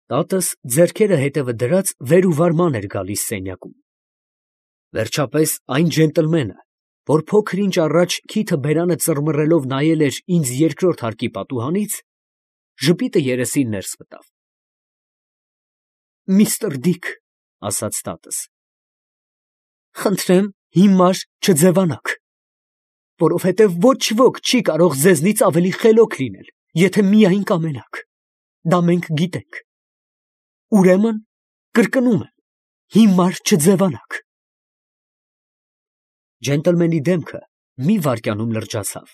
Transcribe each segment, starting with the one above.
Տատս ձեռքերը հետևը դրած վեր ու վարման էր գալիս սենյակում։ Վերջապես այն ջենտլմենը, որ փոքր ինչ առաջ քիթը բերանը ծռմռելով նայել էր ինձ երկրորդ հարկի պատուհանից, ժպիտը երեսին ներս մտավ։ «Միստր Դիք, ֊ ասաց տատս, ֊ խնդրեմ հիմար չձևանաք, որովհետև ոչ ոք չի կարող ձեզնից ավելի խելոք լինել, եթե միայն կամենաք, դա մենք գիտենք, ուրեմն կրկնում եմ, հիմար չձևանաք»։ Ջենտլմենի դեմքը մի վայրկյանում լրջացավ,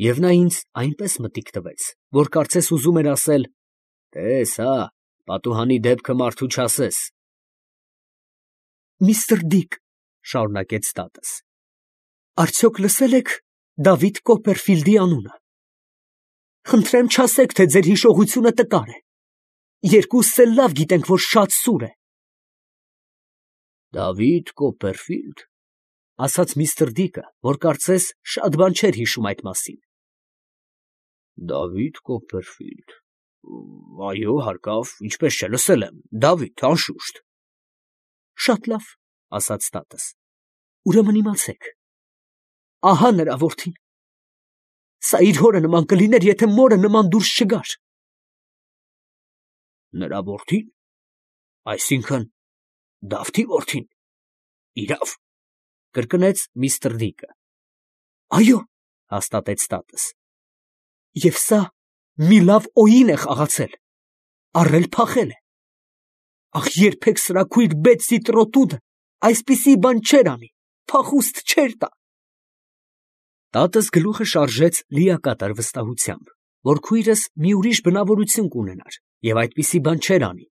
և նա ինձ այնպես մտիկ տվեց, որ կարծես ուզում էր ասել. «Տես հա, պատուհանի դեպքը մարդու չասես»։ «Միստր Դիք, ֊ շարունակեց տատս, ֊ արդյոք լսել եք Դավիթ Կոպերֆիլդի անունը. խնդրեմ չասեք, թե ձեր հիշողությունը տկար է, երկուսս էլ լավ գիտենք, որ շատ սուր է»։ «Դավիթ Կոպերֆիլդ, ֊ ասաց միստր Դիկը, որ կարծես շատ բան չէր հիշում այդ մասին. Դավիթ Կոպերֆիլդ, այո, հարկավ, ինչպես չէ, լսել եմ, Դավիթ, անշուշտ»։ «Շատ լավ, ֊ ասաց տատս, ֊ ուրեմն իմացեք, ահա նրա որդին. սա իր հորը նման կլիներ, եթե մորը նման դուրս չգար»։ «Նրա որդին, այսինքն Դավթի որդին, իրավ, ֊ կրկնեց միստր Դիկը։ «Այո, ֊ հաստատեց տատս, ֊ և սա մի լավ օին է խաղացել, առել փախել է, ախ, երբեք սրաքույր Բեթսի տրոտուդը այսպիսի բան չէր անի, փախուստ չէր տա»։ Տատս գլուխը շարժեց լիակատար վստահությամբ, որ քույրս մի ուրիշ բնավորություն կունենար և այդպիսի բան չէր անի,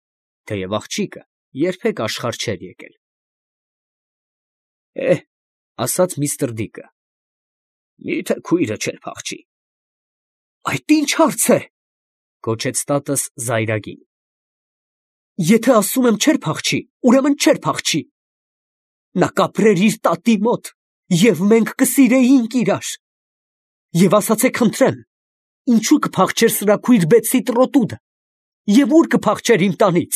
թեև աղջիկը երբեք աշխարհ չէր եկել։ «Է, ֊ ասաց միստր Դիկը, ֊ մի՞թե քույրը չէր փախչի»։ «Այդ ի՞նչ հարց է, ֊ գոչեց տատս զայրագին, ֊ եթե ասում եմ չէր փախչի, ուրեմն չէր փախչի։ Նա կապրեր իր տատի մոտ, և մենք կսիրեինք իրար։ Եվ ասացեք, խնդրեմ, ինչու կփախչեր սրաքույր Բեթսի տրոտուդը, և ուր կփախչեր իմ տանից»։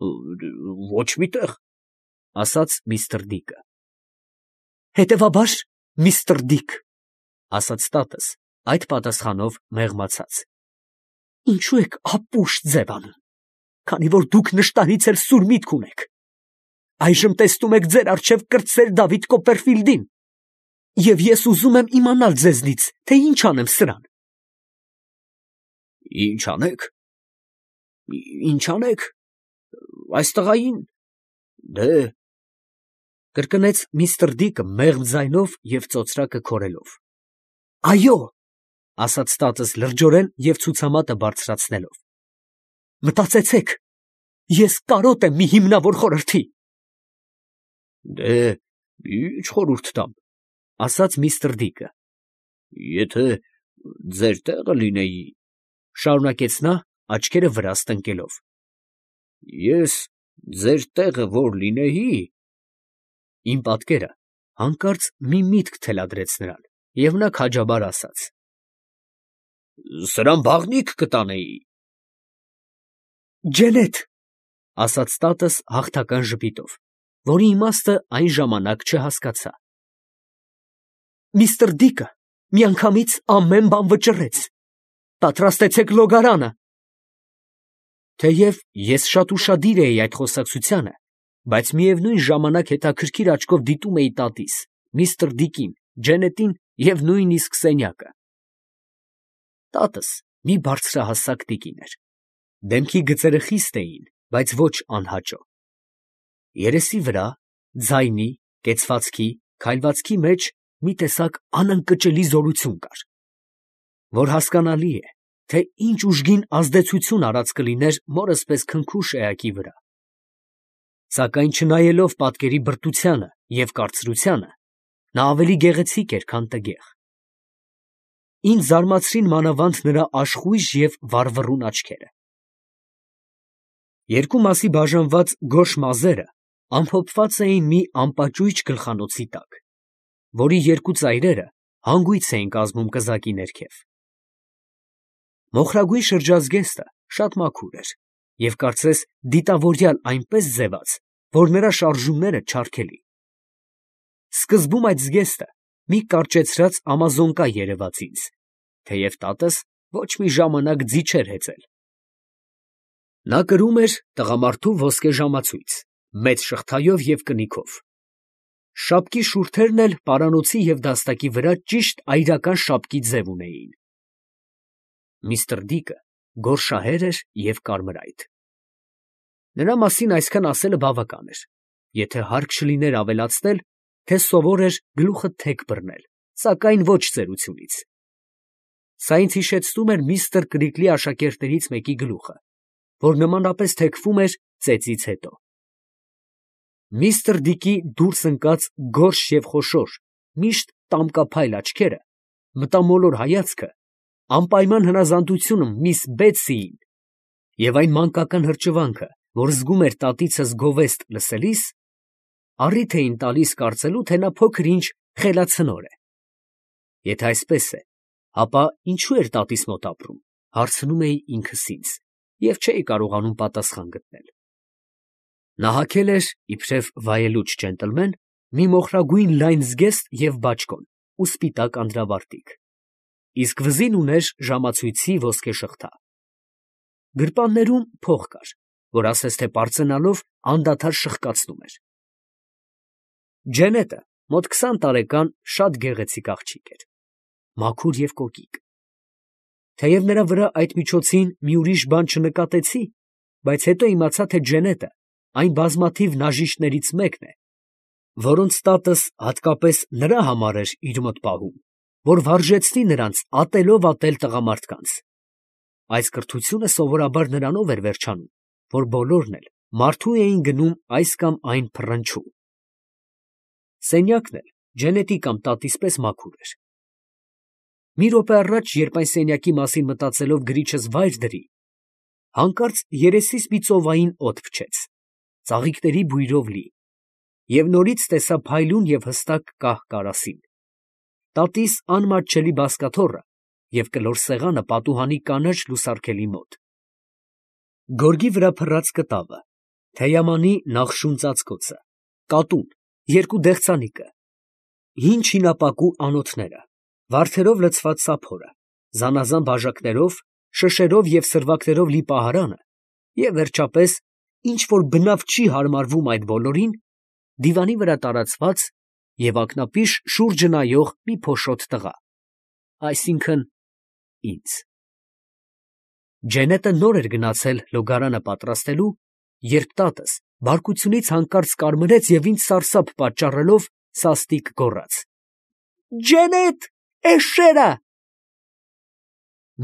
«Ոչ մի տեղ, ֊ ասաց միստր Դիկը։ «Հետևաբար, միստր Դիք, ֊ ասաց տատս այդ պատասխանով մեղմացած, ֊ ինչու եք ապուշ ձև անում, քանի որ դուք նշտարից էլ սուր միտք ունեք։ Այժմ տեսնում եք ձեր առջև կրտսեր Դավիթ Կոպերֆիլդին, և ես ուզում եմ իմանալ ձեզնից, թե ինչ անեմ սրան»։ «Ինչ անեք, ինչ անեք, այս տղային, դե…», կրկնեց միստր Դիկը մեղմ ձայնով և ծոծրակը քորելով։ «Այո, ֊ ասաց տատս լրջորեն և ցուցամատը բարձրացնելով, ֊ մտածեցեք, ես կարոտ եմ մի հիմնավոր խորհրդի»։ «Դե, ի՞նչ խորհուրդ տամ, ֊ ասաց միստր Դիկը, ֊ եթե ձեր տեղը լինեի, ֊ շարունակեց նա, աչքերը վրաս տնկելով, ֊ ես ձեր տեղը որ լինեի…»։ Իմ պատկերը հանկարծ մի միտք թելադրեց նրան, և նա քաջաբար ասաց. «Սրան բաղնիք կտանեի»։ «Ջենետ, ֊ ասաց տատս հաղթական ժպիտով, որի իմաստը այն ժամանակ չհասկացա։ Միստր Դիկը միանգամից ամեն բան վճռեց, պատրաստեցեք լոգարանը»։ Թեև ես շատ ուշադիր էի այդ խոսակցությանը, բայց միևնույն ժամանակ հետաքրքիր աչքով դիտում էի տատիս, միստր Դիկին, Ջենետին և նույնիսկ սենյակը։ Տատս մի բարձրահասակ տիկին էր, դեմքի գծերը խիստ էին, բայց ոչ անհաճո։ Երեսի վրա, ձայնի, կեցվածքի, քայլվածքի մեջ մի տեսակ անընկճելի զորություն կար, որ հասկանալի է, թե ինչ ուժգին ազդեցություն արած կլիներ մորս պես քնքուշ էակի վրա։ Սակայն չնայելով պատկերի բրտությանը և կարծրությանը, նա ավելի գեղեցիկ էր, քան տգեղ։ Ինձ զարմացրին մանավանդ նրա աշխույժ և վառվռուն աչքերը։ Երկու մասի բաժանված գորշ մազերը ամփոփված էին մի անպաճույճ գլխանոցի տակ, որի երկու ծայրերը հանգույց էին կազմում կզակի ներքև։ Մոխրագույն շրջազգեստը շատ մաքուր էր և կարծես դիտավորյալ այնպես ձևաց, որ նրա շարժումները չարգելի։ Սկզբում այդ զգեստը մի կարճեցրած ամազոնկա երևաց ինձ, թեև տատս ոչ մի ժամանակ ձի չէր հեծել։ Նա կրում էր տղամարդու ոսկե ժամացույց, մեծ շղթայով և կնիքով։ Շապկի շուրթերն էլ պարանոցի և դաստակի վրա ճիշտ այրական շապկի ձև ունեին։ Միսթր Դիկը գորշահեր էր և կարմրայթ։ Նրա մասին այսքան ասելը բավական էր, եթե հարկ չլիներ ավելացնել, թե սովոր էր գլուխը թեք բռնել, սակայն ոչ ծերությունից։ Սա ինձ հիշեցնում էր միստր Կրիկլի աշակերտներից մեկի գլուխը, որ նմանապես թեքվում էր ծեծից հետո։ Միստր Դիկի դուրս ընկած գորշ և խոշոր, միշտ տամկափայլ աչքերը, մտամոլոր հայացքը, անպայման հնազանդությունը միս Բեթսիին և այն մանկական հրճվանքը, որ զգում էր տատիցս գովեստ լսելիս, առիթ էին տալիս կարծելու, թե նա փոքր-ինչ խելացնոր է։ Եթե այսպես է, ապա ինչու էր տատիս մոտ ապրում, հարցնում էի ինքս ինձ, և չէի կարողանում պատասխան գտնել։ Նա հագել էր, իբրև վայելուչ ջենտլմեն, մի մոխրագույն լայն զգեստ և բաճկոն ու սպիտակ անդրավարտիք, իսկ վզին ուներ ժամացույցի ոսկե շղթա։ Գրպաններում փող կար, որ ասես թե պարծենալով անդադար շխկացնում էր։ Ջենետը մոտ 20 տարեկան շատ գեղեցիկ աղջիկ էր, մաքուր և կոկիկ։ Թեև նրա վրա այդ միջոցին մի ուրիշ բան չնկատեցի, բայց հետո իմացա, թե Ջենետը այն բազմաթիվ նաժիշտներից մեկն է, որոնց տատս հատկապես նրա համար էր իր մոտ պահում, որ վարժեցնի նրանց ատելով ատել տղամարդկանց։ Այս կրթությունը սովորաբար նրանով էր վերջանում, որ բոլորն էլ մարդու էին գնում այս կամ այն փռնչու։ Սենյակն էլ Ջենետի կամ տատիս պես մաքուր էր։ Մի րոպե առաջ, երբ այն սենյակի մասին մտածելով գրիչս վայր դրի, հանկարծ երեսիս մի ծովային օդ փչեց, ծաղիկների բույրով լի, և նորից տեսա փայլուն և հստակ կահ կարասին, տատիս անմատչելի բազկաթոռը և կլոր սեղանը պատուհանի կանաչ լուսարգելի մոտ, գորգի վրա փռած կտավը, թեյամանի նախշուն ծածկոցը, կատուն, երկու դեղցանիկը, հին չինապակու անոթները, վարդերով լցված սափորը, զանազան բաժակներով, շշերով և սրվակներով լի պահարանը և, վերջապես, ինչ որ բնավ չի հարմարվում այդ բոլորին, դիվանի վրա տարածված և ակնապիշ շուրջը նայող մի փոշոտ տղա, այսինքն՝ ինձ։ Ջենետը նոր էր գնացել լոգարանը պատրաստելու, երբ տատս բարկությունից հանկարծ կարմրեց և ինձ սարսափ պատճառելով սաստիկ գոռաց. «Ջենետ, էշşերա»։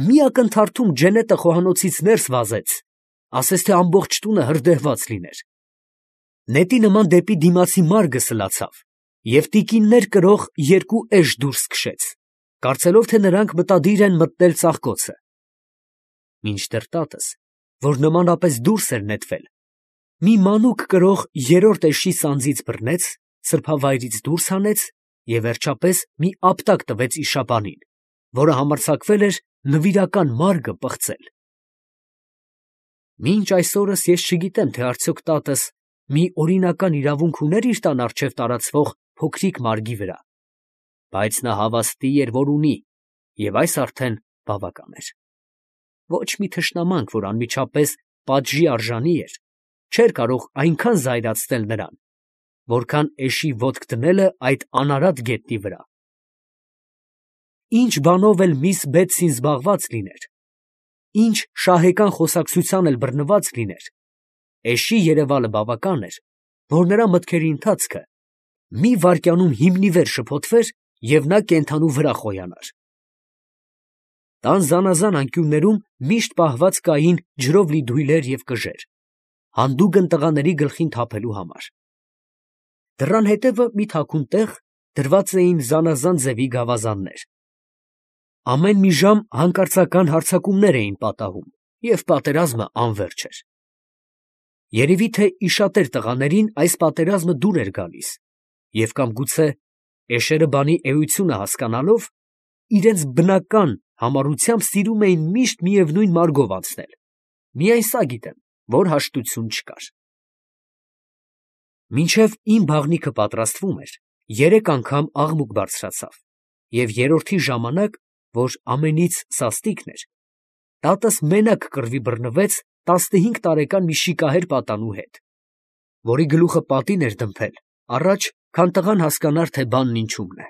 Մի ակնթարթում Ջենետը խոհանոցից ներս վազեց, ասես թե ամբողջ տունը հրդեհված լիներ։ Նետի նման դեպի դիմացի մարգը սլացավ և տիկիններ կրող երկու էշ դուրս քշեց, կարծելով, թե նրանք մտադիր են մտնել ծաղկոցը։ Մինչդեռ տատս, որ նմանապես դուրս էր նետվել, մի մանուկ կրող երրորդ էշի սանձից բռնեց, սրբավայրից դուրս հանեց և վերջապես մի ապտակ տվեց իշաբանին, որը համարձակվել էր նվիրական մարգը պղծել։ Մինչ այս օրս ես չգիտեմ, թե արդյոք տատս մի օրինական իրավունք ուներ իր տան առջև տարածվող փոքրիկ մարգի վրա, բայց նա հավաստի էր, որ ունի, և այս արդեն բավական էր։ Ոչ մի թշնամանք, որ անմիջապես պատժի արժանի էր, չէր կարող այնքան զայրացնել նրան, որքան էշի ոտք դնելը այդ անարատ գետնի վրա։ Ինչ բանով էլ միս Բեթսին զբաղված լիներ, ինչ շահեկան խոսակցության էլ բռնված լիներ, էշի երևալը բավական էր, որ նրա մտքերի ընթացքը մի վայրկյանում հիմնիվեր շփոթվեր և նա կենդանու վրա խոյանար։ Տան զանազան անկյուններում միշտ պահված կային ջրով լի դույլեր և կժեր, հանդուգն տղաների գլխին թափելու համար։ Դռան հետևը մի թաքուն տեղ դրված էին զանազան ձևի գավազաններ։ Ամեն մի ժամ հանկարծական հարձակումներ էին պատահում, և պատերազմը անվերջ էր։ Երևի թե իշատեր տղաներին այս պատերազմը դուր էր գալիս, և կամ գուցե էշերը բանի էությունը հասկանալով, իրենց բնական համառությամբ սիրում էին միշտ միևնույն մարգով անցնել, միայն սա գիտեմ, որ հաշտություն չկար։ Մինչև իմ բաղնիքը պատրաստվում էր, 3 անգամ աղմուկ բարձրացավ, և երրորդի ժամանակ, որ ամենից սաստիկն էր, տատս մենակ կռվի բռնվեց 15 տարեկան մի շիկահեր պատանու հետ, որի գլուխը պատին էր դմփել, առաջ, քան տղան հասկանար, թե բանն ինչումն է։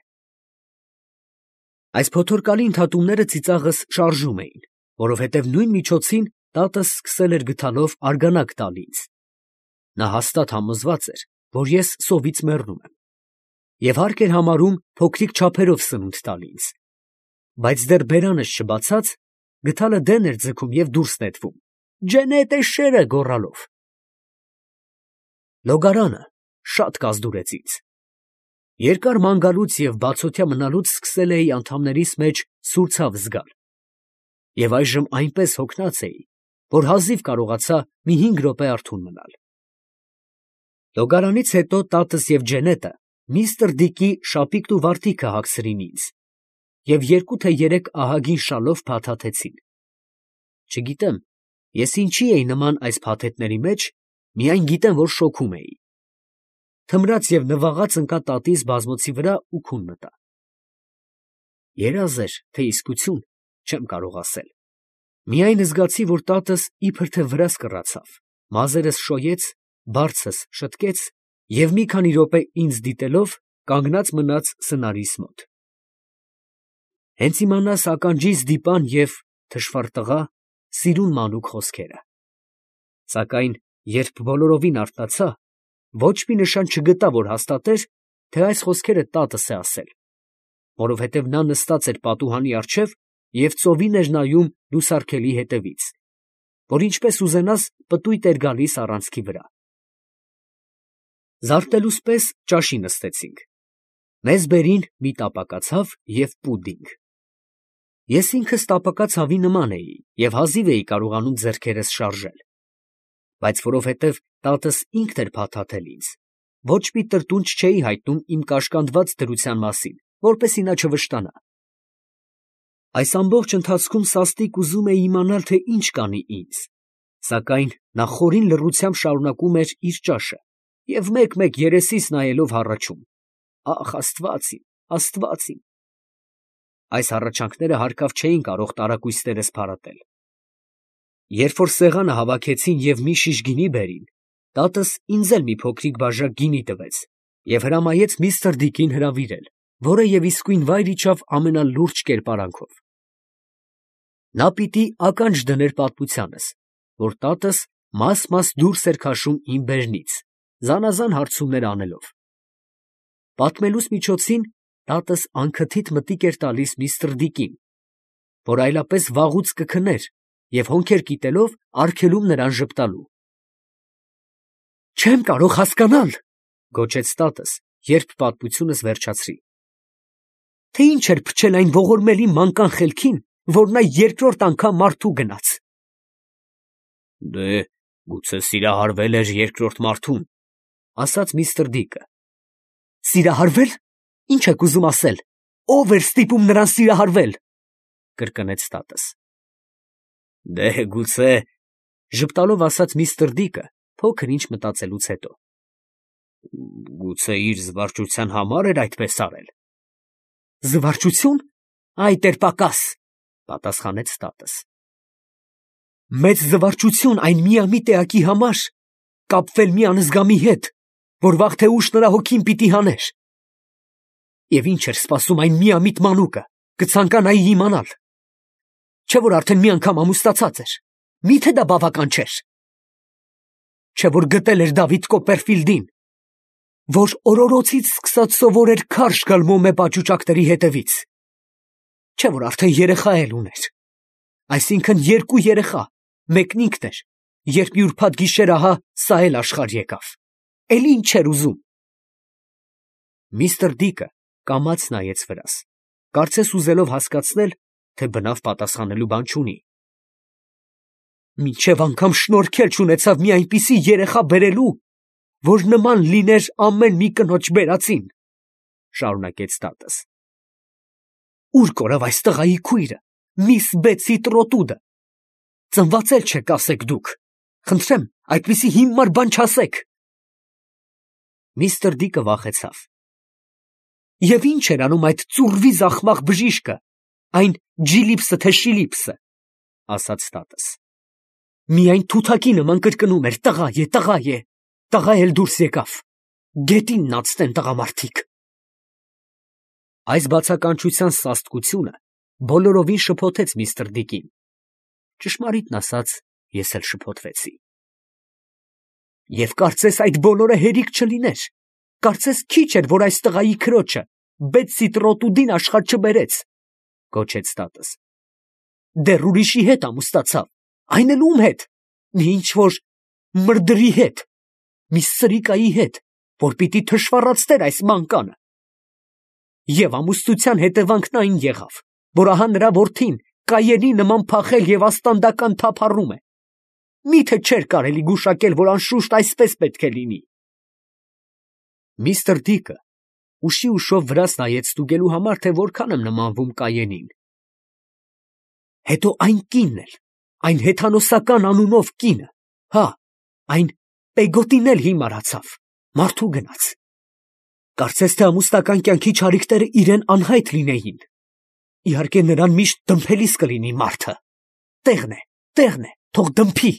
Այս փոթորկալի ընդհատումները ծիծաղս շարժում էին, որովհետև նույն միջոցին տատս սկսել էր գդալով արգանակ տալ ինձ։ Նա հաստատ համոզված էր, որ ես սովից մեռնում եմ, և հարկ էր համարում փոքրիկ չափերով սնունդ տալ ինձ, բայց դեռ բերանս չբացած, գդալը դեն էր ձգում և դուրս նետվում, «Ջենետ էշերը» գոռալով։ Լոգարանը շատ կազդուրեց ինձ։ Երկար ման գալուց և բացօթյա մնալուց սկսել էի անդամներիս մեջ սուր ցավ զգալ, և այժմ այնպես հոգնած էի, որ հազիվ կարողացա մի 5 րոպե արթուն մնալ։ Լոգարանից հետո տատս և Ջենետը միստր Դիկի շապիկն ու վարտիքը հագցրին ինձ և 2 թե 3 ահագին շալով փաթաթեցին։ Չգիտեմ, ես ինչի էի նման այս փաթեթների մեջ, միայն գիտեմ, որ շոքում էի։ Թմրած և նվաղած ընկա տատիս բազմոցի վրա ու քուն մտա։ Երազ էր, թե իսկություն, չեմ կարող ասել։ Միայն զգացի, որ տատս իբր թե վրաս կռացավ, մազերս շոյեց, բարձս շտկեց և մի քանի րոպե ինձ դիտելով կանգնած մնաց սնարիս մոտ։ Հենց իմանաս ականջիս դիպան և «թշվառ տղա» սիրուն մանուկ խոսքերը։ Սակայն երբ բոլորովին արթնացա, ոչ մի նշան չգտա, որ հաստատեր, թե այս խոսքերը տատս է ասել, որովհետև նա նստած էր պատուհանի առջև և ծովին էր նայում լուսարգելի հետևից, որ ինչպես ուզենաս պտույտ էր գալիս առանցքի վրա։ Զարթնելուս պես ճաշի նստեցինք։ Մեզ բերին մի տապակացավ և պուդինգ։ Ես ինքս տապակացավի նման էի և հազիվ էի կարողանում ձեռքերս շարժել, բայց որովհետև տատս ինքն էր փաթաթել ինձ, ոչ մի տրտունջ չէի հայտնում իմ կաշկանդված դրության մասին, որպեսզի նա չվշտանա։ Այս ամբողջ ընթացքում սաստիկ ուզում էի իմանալ, թե ինչ կանի ինձ, սակայն նա խորին լռությամբ շարունակում էր իր ճաշը և մեկ֊մեկ երեսիս նայելով հառաչում. «Ախ, Աստված իմ, Աստված իմ»։ Այս հառաչանքները հարկավ չէին կարող տարակույսներս փարատել։ Երբ որ սեղանը հավաքեցին և մի շիշ գինի բերին, տատս ինձ էլ մի փոքրիկ բաժակ գինի տվեց և հրամայեց միստր Դիկին հրավիրել, որը և իսկույն վայր իջավ ամենալուրջ կերպարանքով։ Նա պիտի ականջ դներ պատմությանս, որ տատս մաս֊մաս դուրս էր քաշում իմ բերնից, զանազան հարցումներ անելով։ Պատմելուս միջոցին տատս անքթիթ մտիկ էր տալիս միստր Դիկին, որ այլապես վաղուց կքներ և հոնքեր կիտելով արգելում նրան ժպտալու։ «Չեմ կարող հասկանալ, ֊ գոչեց տատս, երբ պատմությունս վերջացրի, ֊ թե ինչ էր փչել այն ողորմելի մանկան խելքին, որ նա երկրորդ անգամ մարդու գնաց»։ «Դե, գուցե սիրահարվել էր երկրորդ մարդուն, ֊ ասաց միստր Դիկը։ ֊ Սիրահարվե՞լ. Ի՞նչ եք ուզում ասել, ո՞վ էր ստիպում նրան սիրահարվել, ֊ կրկնեց տատս։ ֊ Դե, գուցե, ֊ ժպտալով ասաց միստր Դիկը, փոքր ինչ մտածելուց հետո, ֊ գուցե իր զվարճության համար էր այդպես արել։ ֊ Զվարճություն, այ տեր֊Պակաս, ֊ պատասխանեց տատս։ ֊ Մեծ զվարճություն այն միամիտ էակի համար կապվել մի անզգամի հետ, որ վաղ թե ուշ նրա հոգին պիտի հաներ։ Եվ ի՞նչ էր սպասում այն միամիտ մանուկը, կցանկանայի իմանալ։ Չէ՞ որ արդեն մի անգամ ամուսնացած էր, մի՞թե դա բավական չէր։ Չէ՞ որ գտել էր Դավիթ Կոպպերֆիլդին, որ օրորոցից սկսած սովորեր քարշ գալ մոմե պաճուճակների հետևից։ Չէ՞ որ արդեն երեխա էլ ուներ, այսինքն 2 երեխա, մեկն ինքն էր, երբ մի ուրբաթ գիշեր ահա սա էլ աշխարհ եկավ, էլ ի՞նչ էր ուզում։ Միստր Դիկը կամաց նայեց վրաս, կարծես ուզելով հասկացնել, թե բնավ պատասխանելու բան չունի։ Մինչև անգամ շնորհքել չունեցավ մի այնպիսի երեխա բերելու, որ նման լիներ ամեն մի կնոջ բերածին, ֊ շարունակեց տատս։ Ո՞ւր կորավ այս տղայի քույրը, միս Բեցի Տրոտուդը։ ծնված էլ չեք, ասեք դուք։ Խնդրեմ, այդպիսի հիմար բան չասեք։ Միստր Դիկը վախեցավ։ Եվ ինչ էր անում այդ ծուրվի զախմախ բժիշկը, այն Ջիլիպսը թե Շիլիպսը, ասաց տատս։ Միայն թութակի նման կրկնում էր. տղա է, տղա է, տղա էլ դուրս եկավ։ Գետինն ածտեն տղամարդիկ։ Այս բացականչության սաստկությունը բոլորովին շփոթեց միստր Դիկին։ Ճշմարիտն ասած, ես էլ շփոթվեցի։ Եվ կարծես այդ բոլորը հերիք չլիներ։ Կարծես քիչ էր, որ այս տղայի քրոջը Բետսի Տրոտուդին աշխարհ չբերեց, գոչեց տատս։ Դեռ ուրիշի հետ ամուսնացավ, այն էլ ում հետ։ Մի ինչ-որ մրդրի հետ, մի սրիկայի հետ, որ պիտի թշվառացներ այս մանկանը։ Եվ ամուսնության հետևանքն այն եղավ, որ ահա նրա որդին կայենի նման փախել եւ աստանդական թափառում է։ Միթե չէր կարելի գուշակել, որ անշուշտ այսպես պետք է լինի։ Միստր Դիկը ուշի ուշով վրաս նայեց ստուգելու համար, թե որքան եմ նմանվում Կայենին։ Հետո այն կինն էլ, այն հեթանոսական անունով կինը, հա, այն Պեգոտին էլ հիմարացավ, մարդու գնաց։ Կարծես թե ամուսնական կյանքի չարիքները իրեն անհայտ լինեին։ Իհարկե նրան միշտ դմփելիս կլինի մարդը։ Տեղն է, թող դմփի։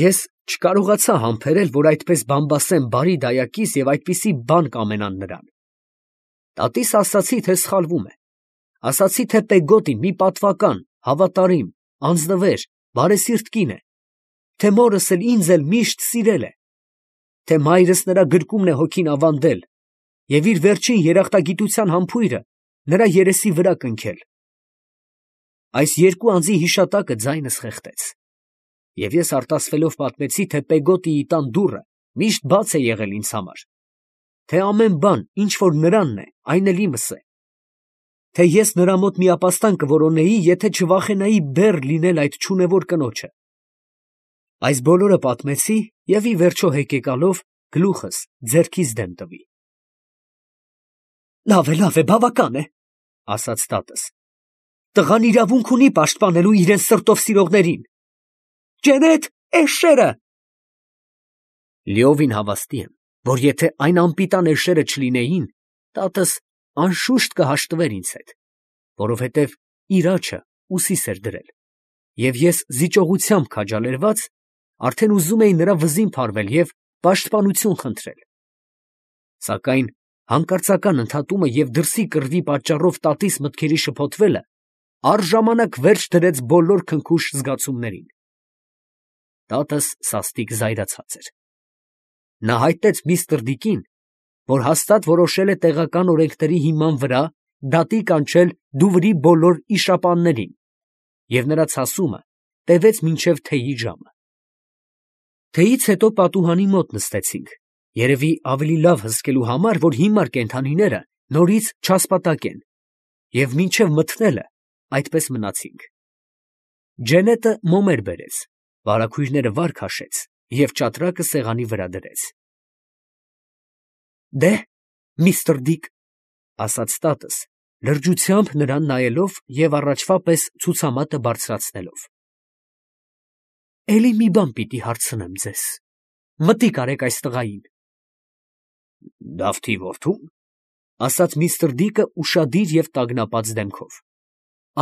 Ես չկարողացա համբերել, որ այդպես բամբասեմ բարի դայակից եւ այդպիսի բան կամենան նրան։ Տատիս ասացի, թե սխալվում է։ Ասացի, թե Պեգոտին մի պատվական, հավատարիմ, անձնվեր, բարեսիրտ կին է, թե մորս էլ ինձ էլ միշտ սիրել է, թե մայրս նրա գրկումն է հոգին ավանդել եւ իր վերջին երախտագիտության համբույրը նրա երեսի վրա կնքել։ Այս երկու անձի հիշատակը ձայնս խեղդեց։ Եվ ես արտասվելով պատմեցի, թե Պեգոտիի տան դուռը միշտ բաց է եղել ինձ համար, թե ամեն բան, ինչ որ նրանն է, այն էլ իմս է, թե ես նրա մոտ միապաստան կորոնեի, եթե չվախենայի բեռ լինել այդ չունևոր կնոջը։ Այս բոլորը պատմեցի եւ ի վերջո հեկեկալով գլուխս ձեռքից դեմ տվի։ Լավ է, բավական է, ասաց տատս։ Տղան իրավունք ունի պաշտպանելու իրեն սրտով սիրողներին։ Ջենետ, էշերը։ Լիովին հավաստի եմ, որ եթե այն անպիտան էշերը չլինեին, տատս անշուշտ կհաշտվեր ինձ հետ, որովհետև իր աջը ուսիս էր դրել, եւ ես զիջողությամբ քաջալերված արդեն ուզում էի նրա վզին փարվել եւ պաշտպանություն խնդրել։ Սակայն հանկարծական ընդհատումը եւ դրսի կռվի պատճառով տատիս մտքերի շփոթվելը առժամանակ վերջ դրեց բոլոր քնքուշ զգացումներին։ Տատս սաստիկ զայրացած էր։ Նա հայտնեց միստր Դիկին, որ հաստատ որոշել է տեղական օրենքների հիման վրա դատի կանչել Դուվրի բոլոր իշապաններին, եւ նրա ցասումը տևեց մինչև թեյի ժամը։ Թեյից հետո պատուհանի մոտ նստեցինք, երևի ավելի լավ հսկելու համար, որ հիմար կենդանիները նորից չասպատակեն, եւ մինչև մթնելը այդպես մնացինք։ Ջենետը մոմեր բերեց, վարագույրները վար քաշեց եւ ճատրակը սեղանի վրա դրեց։ Դե, միստր Դիկ, ասաց տատս, լրջությամբ նրան նայելով եւ առաջվա պես ցուցամատը բարձրացնելով։ Էլի մի բան պիտի հարցնեմ ձեզ. մտիկ արեք այս տղային։ Դավթի որդու՞ն, ասաց միստր Դիկը ուշադիր եւ տագնապած դեմքով։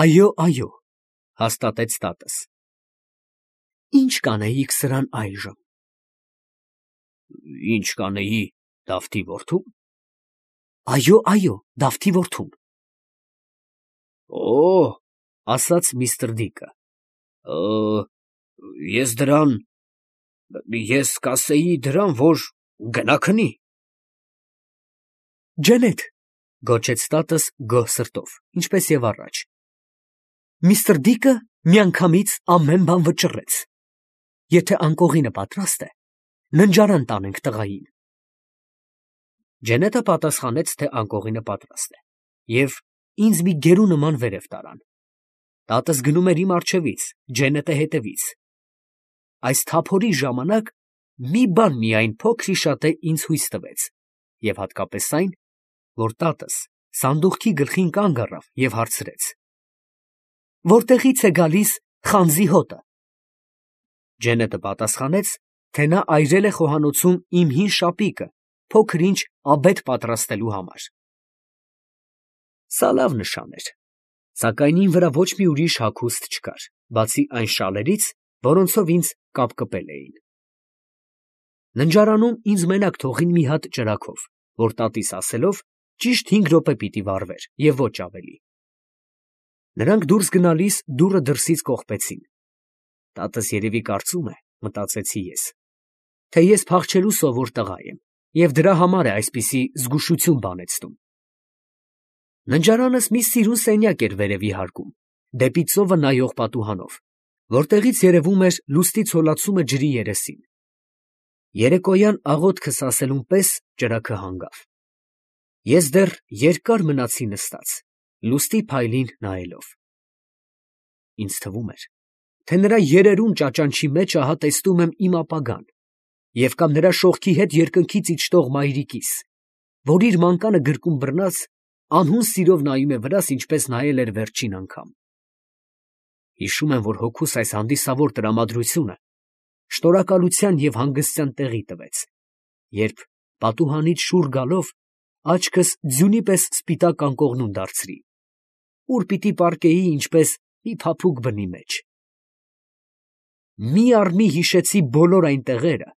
Այո, հաստատեց տատս։ Ինչ կանեիք սրան այժմ։ Ինչ կանեի Դավթի որդու՞ն։ Այո, Դավթի որդուն։ Օ, ասաց միստր Դիկը։ Ես կասեի դրան, որ գնա քնի։ Ջենետ, գոչեց տատս գոհ սրտով, ինչպես եւ առաջ։ Միստր Դիկը միանգամից ամեն բան վճռեց։ Եթե անկողինը պատրաստ է, ննջարան տանենք տղային։ Ջենետը պատասխանեց, թե անկողինը պատրաստ է, եւ ինձ մի գերու նման վերև տարան։ Տատս գնում էր իմ առջևից, Ջենետը հետևից։ Այս թափորի ժամանակ մի բան միայն փոքրիշատե ինձ հույս տվեց, եւ հատկապես այն, որ տատս սանդուղքի գլխին կանգ առավ եւ հարցրեց. Որտեղից է գալիս խանձի հոտը։ Ջենետը պատասխանեց, թե նա այրել է խոհանոցում իմ հին շապիկը, փոքր ինչ աբեթ պատրաստելու համար։ Սա լավ նշան էր, սակայն իմ վրա ոչ մի ուրիշ հագուստ չկար, բացի այն շալերից, որոնցով ինձ կապկպել էին։ Ննջարանում ինձ մենակ թողին մի հատ ճրագով, որ տատիս ասելով ճիշտ 5 րոպե պիտի վառվեր և ոչ ավելի։ Նրանք դուրս գնալիս դուռը դրսից կողպեցին։ Տատս երևի կարծում է, մտածեցի ես, թե ես փախչելու սովոր տղա եմ և դրա համար է այսպիսի զգուշություն բանեցնում։ Ննջարանս մի սիրուն սենյակ էր վերևի հարկում, դեպի ծովը նայող պատուհանով, որտեղից երևում էր լուսնի ցոլացումը ջրի երեսին։ Երեկոյան աղոթքս ասելուն պես ճրագը հանգավ։ Ես դեռ երկար մնացի նստած, լուսնի փայլին նայելով։ Ինձ թվում էր, թե նրա երերուն ճաճանչի մեջ ահա տեսնում եմ իմ ապագան և կամ նրա շողքի հետ երկնքից իջնող մայրիկիս, որ իր մանկանը գրկում բռնած անհուն սիրով նայում է վրաս, ինչպես նայել էր վերջին անգամ։ Հիշում եմ, որ հոգուս այս հանդիսավոր տրամադրությունը շնորհակալության և հանգստյան տեղի տվեց, երբ պատուհանից շուռ գալով աչքս ձյունի պես սպիտակ անկողնուն դարձրի, ուր պիտի պառկեի ինչպես մի փափուկ բնի մեջ։ Մի առ մի հիշեցի բոլոր այն տեղերը,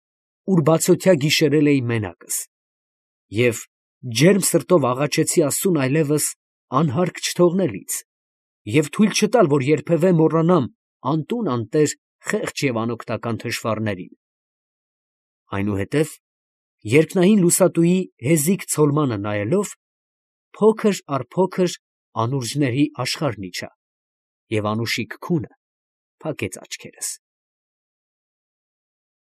ուր բացօթյա գիշերել էի մենակս, և ջերմ սրտով աղաչեցի Աստծուն այլևս անհարգ չթողնել ինձ և թույլ չտալ, որ երբևէ մոռանամ անտուն անտեր խեղճ և անօգնական թշվառներին։ Այնուհետև, երկնային լուսատուի հեզիկ ցոլմանը նայելով, փոքր առ փոքր անուրջների աշխարհն իջա և անուշիկ քունը փակեց աչքերս։